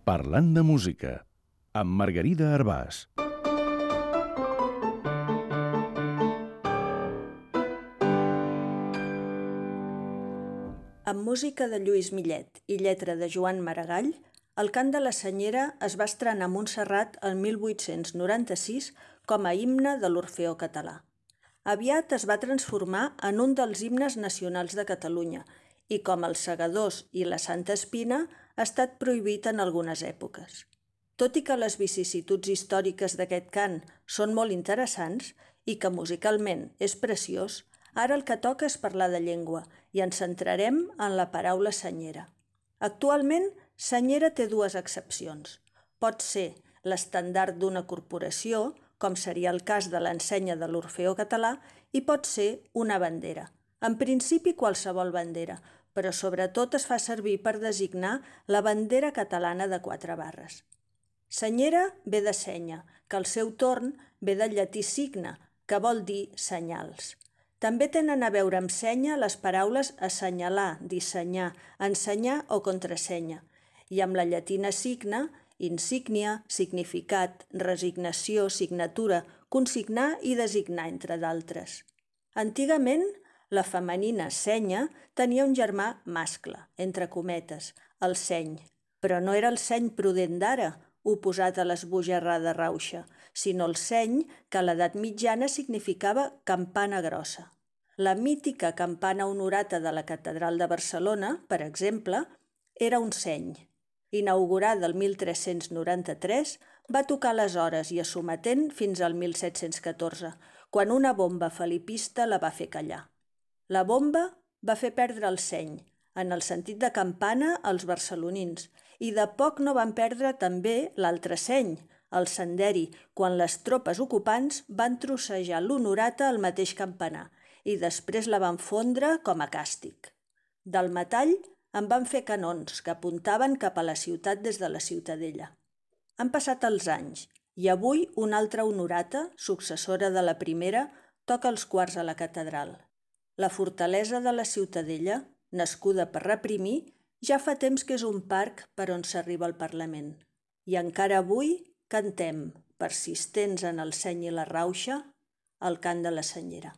Parlant de música, amb Margarida Arbàs. Amb música de Lluís Millet i lletra de Joan Maragall, el cant de la Senyera es va estrenar a Montserrat el 1896 com a himne de l'Orfeó Català. Aviat es va transformar en un dels himnes nacionals de Catalunya i, com els Segadors i la Santa Espina, ha estat prohibit en algunes èpoques. Tot i que les vicissituds històriques d'aquest cant són molt interessants i que musicalment és preciós, ara el que toca és parlar de llengua i ens centrarem en la paraula senyera. Actualment, senyera té dues accepcions. Pot ser l'estandard d'una corporació, com seria el cas de l'ensenya de l'Orfeó Català, i pot ser una bandera. En principi qualsevol bandera, però sobretot es fa servir per designar la bandera catalana de 4 barres. Senyera ve de senya, que al seu torn ve del llatí signe, que vol dir senyals. També tenen a veure amb senya les paraules assenyalar, dissenyar, ensenyar o contrasenya, i amb la llatina signa, insígnia, significat, resignació, signatura, consignar i designar, entre d'altres. Antigament, la femenina senya tenia un germà mascle, entre cometes, el seny, però no era el seny prudent d'ara, oposat a l'esbojarrada rauxa, sinó el seny que a l'edat mitjana significava campana grossa. La mítica campana honorata de la Catedral de Barcelona, per exemple, era un seny. Inaugurada el 1393, va tocar les hores i a sometent fins al 1714, quan una bomba felipista la va fer callar. La bomba va fer perdre el seny, en el sentit de campana, als barcelonins, i de poc no van perdre també l'altre seny, el senderi, quan les tropes ocupants van trossejar l'honorata al mateix campanar i després la van fondre com a càstig. Del metall en van fer canons que apuntaven cap a la ciutat des de la Ciutadella. Han passat els anys i avui una altra honorata, successora de la primera, toca els quarts a la catedral. La fortalesa de la Ciutadella, nascuda per reprimir, ja fa temps que és un parc per on s'arriba al Parlament. I encara avui cantem, persistents en el seny i la rauxa, el cant de la senyera.